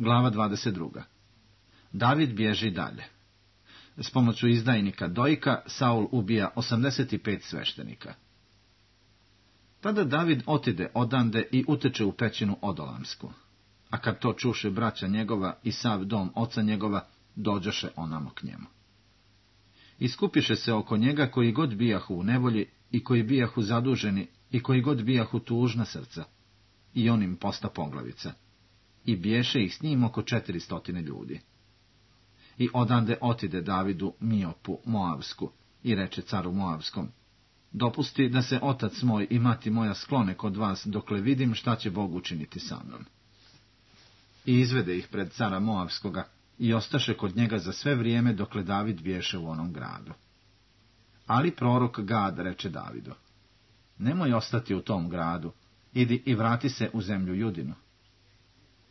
Glava 22. David bježi dalje. S pomoću izdajnika Dojka Saul ubija 85 sveštenika. Tada David otide odande i uteče u pećinu Odolamsku. A kad to čuše braća njegova i sav dom oca njegova, dođoše onamo k njemu. Iskupiše se oko njega koji god bijahu u nevolji i koji bijahu zaduženi i koji god bijahu tužna srca. I on im posta poglavica. I biješe ih s njim oko 400 ljudi. I odande otide Davidu Miopu Moavsku i reče caru Moavskom: dopusti da se otac moj i mati moja sklone kod vas, dokle vidim šta će Bog učiniti sa mnom. I izvede ih pred cara Moavskoga i ostaše kod njega za sve vrijeme dokle David biješe u onom gradu. Ali prorok Gad reče Davidu: nemoj ostati u tom gradu, idi i vrati se u zemlju Judinu.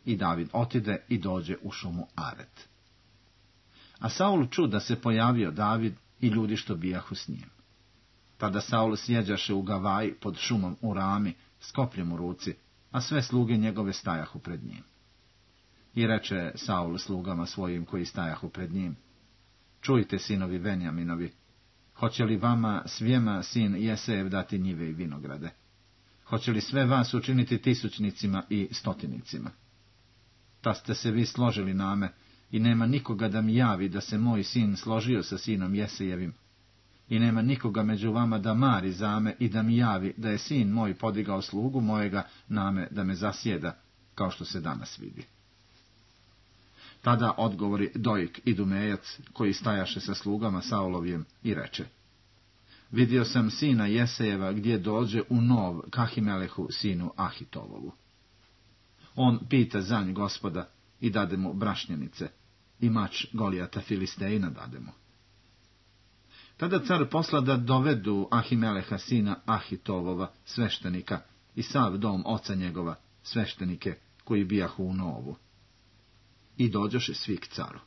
I David otide i dođe u šumu Aret. A Saul ču da se pojavio David i ljudi što bijahu s njim. Tada Saul sjeđaše u Gavaji pod šumom u Rami s kopljem u ruci, a sve sluge njegove stajahu pred njim. I reče Saul slugama svojim koji stajahu pred njim: čujte, sinovi Venjaminovi, hoće li vama svijema sin Jesejev dati njive i vinograde? Hoće li sve vas učiniti tisućnicima i stotinicima? Ta ste se vi složili name, i nema nikoga da mi javi da se moj sin složio sa sinom Jesejevim, i nema nikoga među vama da mari za me i da mi javi da je sin moj podigao slugu mojega name da me zasjeda, kao što se danas vidi. Tada odgovori Dojk Idumejac, koji stajaše sa slugama Saulovim, i reče: vidio sam sina Jesejeva gdje dođe u Nov Kahimelehu sinu Ahitovovu. On pita za nj Gospoda i dade mu brašnjenice, i mač Golijata Filistejina dade mu. Tada car posla da dovedu Ahimeleha sina Ahitovova, sveštenika, i sav dom oca njegova, sveštenike, koji bijahu u Novu. I dođoše svi k caru.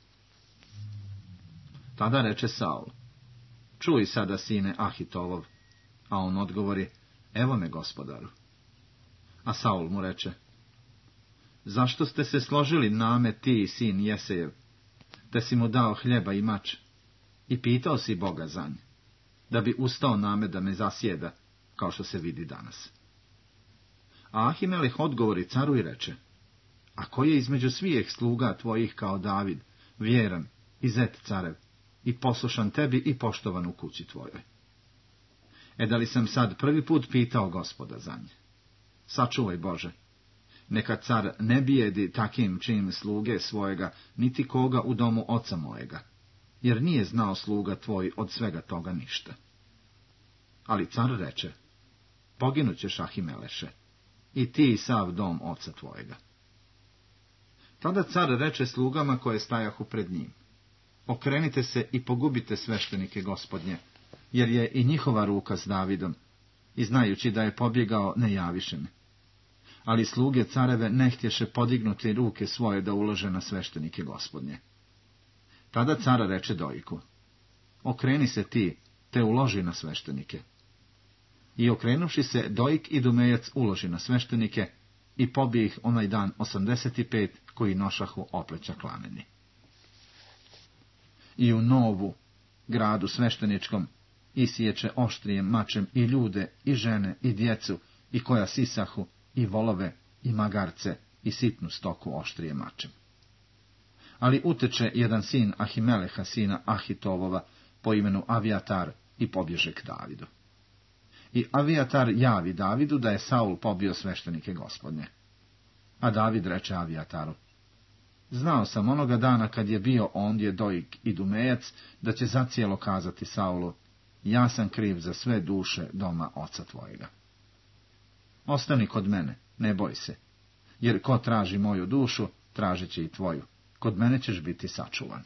Tada reče Saul: čuj sada, sine Ahitovov. A on odgovori: evo me, gospodaru. A Saul mu reče: zašto ste se složili name ti, sin Jesejev, te si mu dao hljeba i mač, i pitao si Boga za nj, da bi ustao name da me zasjeda, kao što se vidi danas? A Ahimeleh odgovori caru i reče: a ko je između svijeh sluga tvojih kao David, vjeran i zet carev, i poslušan tebi i poštovan u kući tvojoj? Da li sam sad prvi put pitao Gospoda za nje? Sačuvaj, Bože, neka car ne bijedi takim čim sluge svojega, niti koga u domu oca mojega, jer nije znao sluga tvoj od svega toga ništa. Ali car reče: poginućeš, Ahimeleše, i ti i sav dom oca tvojega. Tada car reče slugama koje stajahu pred njim: okrenite se i pogubite sveštenike Gospodnje, jer je i njihova ruka s Davidom, i znajući da je pobjegao, ne javiše me. Ali sluge careve ne htješe podignuti ruke svoje da ulože na sveštenike Gospodnje. Tada car reče Dojku: okreni se ti, te uloži na sveštenike. I okrenuši se, Dojk Idumejac uloži na sveštenike, i pobije ih onaj dan 85 koji nošahu opleća klameni. I u Novu, gradu svešteničkom, isiječe oštrijem mačem i ljude, i žene, i djecu, i koja sisahu, i volove, i magarce, i sitnu stoku oštrijem mačem. Ali uteče jedan sin Ahimeleha sina Ahitovova po imenu Avijatar i pobježe k Davidu. I Avijatar javi Davidu da je Saul pobio sveštenike Gospodnje. A David reče Avijataru: znao sam onoga dana kad je bio ondje Dojk Idumejac da će zacijelo kazati Saulu: ja sam kriv za sve duše doma oca tvojega. Ostani kod mene, ne boj se, jer ko traži moju dušu, tražit će i tvoju. Kod mene ćeš biti sačuvan.